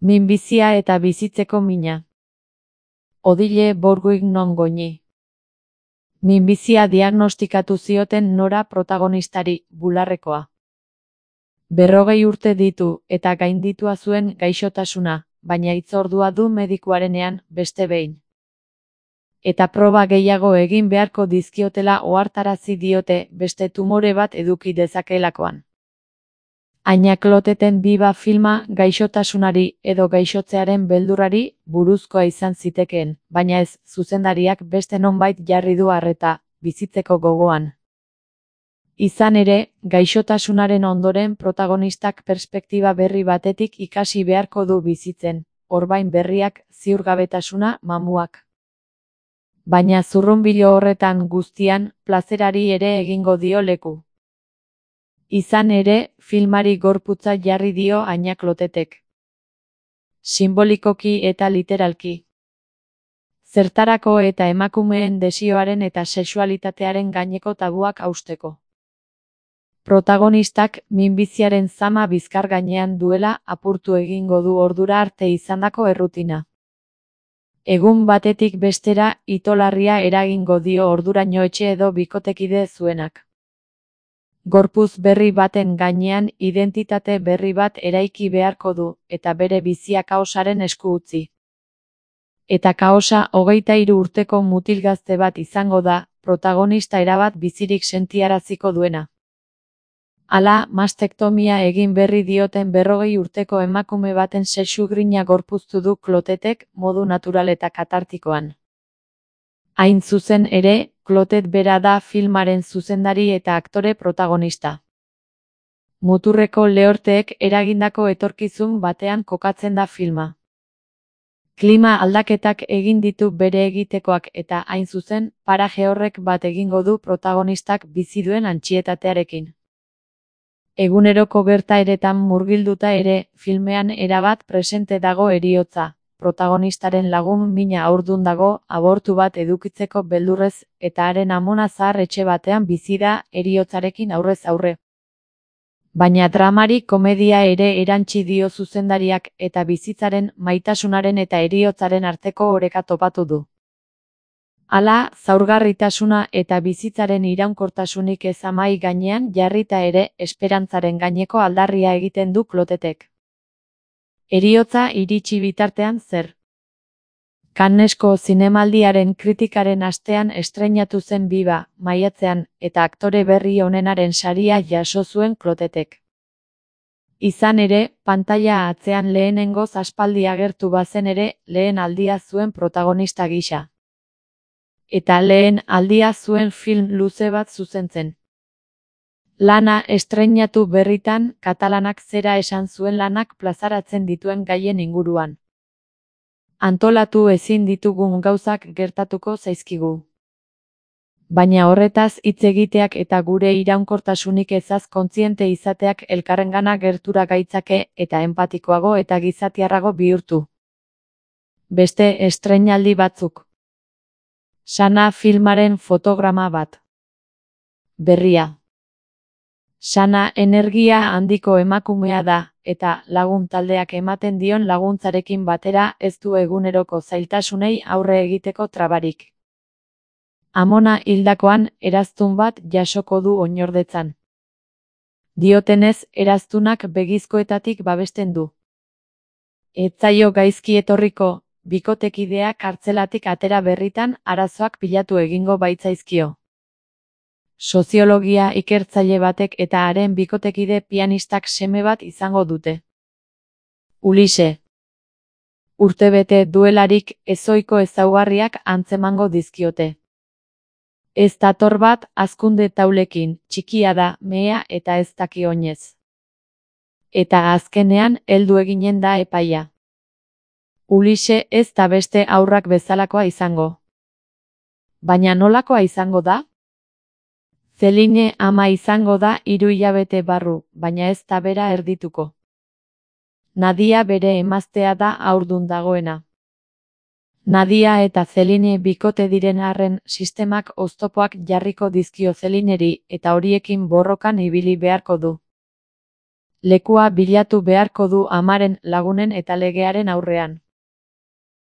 Minbizia eta bizitzeko mina. Odile Bourgoignon Goñi. Minbizia diagnostikatu zioten Nora protagonistari, bularrekoa. 40 urte ditu eta gainditua zuen gaixotasuna, baina hitzordua du medikuarenean, beste behin. Eta proba gehiago egin beharko dizkiotela ohartarazi diote beste tumore bat eduki dezakeelakoan. Aina Kloteten Biba filma gaixotasunari edo gaixotzearen beldurrari buruzkoa izan zitekeen, baina ez, zuzendariak beste nonbait jarri du arreta, bizitzeko gogoan. Izan ere, gaixotasunaren ondoren protagonistak perspektiba berri batetik ikasi beharko du bizitzen, orbain berriak, ziurgabetasuna, mamuak. Baina zurrunbilo horretan guztian, plazerari ere egingo dio leku. Izan ere, filmari gorputza jarri dio Aina Klotetek. Sinbolikoki eta literalki. Zertarako eta emakumeen desioaren eta sexualitatearen gaineko tabuak hausteko. Protagonistak minbiziaren zama bizkar gainean duela apurtu egingo du ordura arte izandako errutina. Egun batetik bestera itolarria eragingo dio orduraino etxe edo bikotekide zuenak. Gorpuz berri baten gainean identitate berri bat eraiki beharko du, eta bere bizia kaosaren esku utzi. Eta kaosa 23 urteko mutil gazte bat izango da, protagonista erabat bizirik sentiaraziko duena. Hala, mastektomia egin berri dioten 40 urteko emakume baten sexu-grina gorpuztu du Klotetek modu natural eta katartikoan. Hain zuzen ere, Klotet bera da filmaren zuzendari eta aktore protagonista. Muturreko lehorteek eragindako etorkizun batean kokatzen da filma. Klima aldaketak egin ditu bere egitekoak eta hain zuzen, paraje horrek bat egingo du protagonistak bizi duen antsietatearekin. Eguneroko gertaeretan murgilduta ere, filmean erabat presente dago heriotza. Protagonistaren lagun mina haurdun dago, abortu bat edukitzeko beldurrez, eta haren amona zahar etxe batean bizi da, heriotzarekin aurrez aurre. Baina dramari komedia ere erantsi dio zuzendariak eta bizitzaren, maitasunaren eta heriotzaren arteko oreka topatu du. Hala, zaurgarritasuna eta bizitzaren iraunkortasunik ez amai gainean jarrita ere, esperantzaren gaineko aldarria egiten du Klotetek. Heriotza iritsi bitartean zer? Cannesko zinemaldiaren kritikaren astean estreinatu zen Biba, maiatzean, eta aktore berri onenaren saria jaso zuen Klotetek. Izan ere, pantaila atzean lehenengoz aspaldi agertu bazen ere, lehen aldia zuen protagonista gisa. Eta lehen aldia zuen film luze bat zuzentzen. Lana estreinatu berritan, katalanak zera esan zuen lanak plazaratzen dituen gaien inguruan. Antolatu ezin ditugun gauzak gertatuko zaizkigu. Baina horretaz hitz egiteak eta gure iraunkortasunik ezaz kontziente izateak elkarrengana gertura gaitzake eta empatikoago eta gizatiarrago bihurtu. Beste estreinaldi batzuk. Sana filmaren fotograma bat. Berria. Sana energia handiko emakumea da, eta lagun taldeak ematen dion laguntzarekin batera ez du eguneroko zailtasunei aurre egiteko trabarik. Amona hildakoan eraztun bat jasoko du oinordetzan. Diotenez, eraztunak begizkoetatik babesten du. Ez zaio gaizki etorriko, bikotekidea kartzelatik atera berritan arazoak pilatu egingo baitzaizkio. Soziologia ikertzaile batek eta haren bikotekide pianistak seme bat izango dute. Ulise. Urtebete duelarik ezohiko ezaugarriak antzemango dizkiote. Ez dator bat hazkunde taulekin, txikia da, mehea eta ez daki oinez. Eta azkenean heldu eginen da epaia. Ulise ez da beste haurrak bezalakoa izango. Baina nolakoa izango da? Celine ama izango da 3 hilabete barru, baina ez da bera erdituko. Nadia bere emaztea da haurdun dagoena. Nadia eta Celine bikote diren arren sistemak oztopoak jarriko dizkio Celineri eta horiekin borrokan ibili beharko du. Lekua bilatu beharko du amaren, lagunen eta legearen aurrean.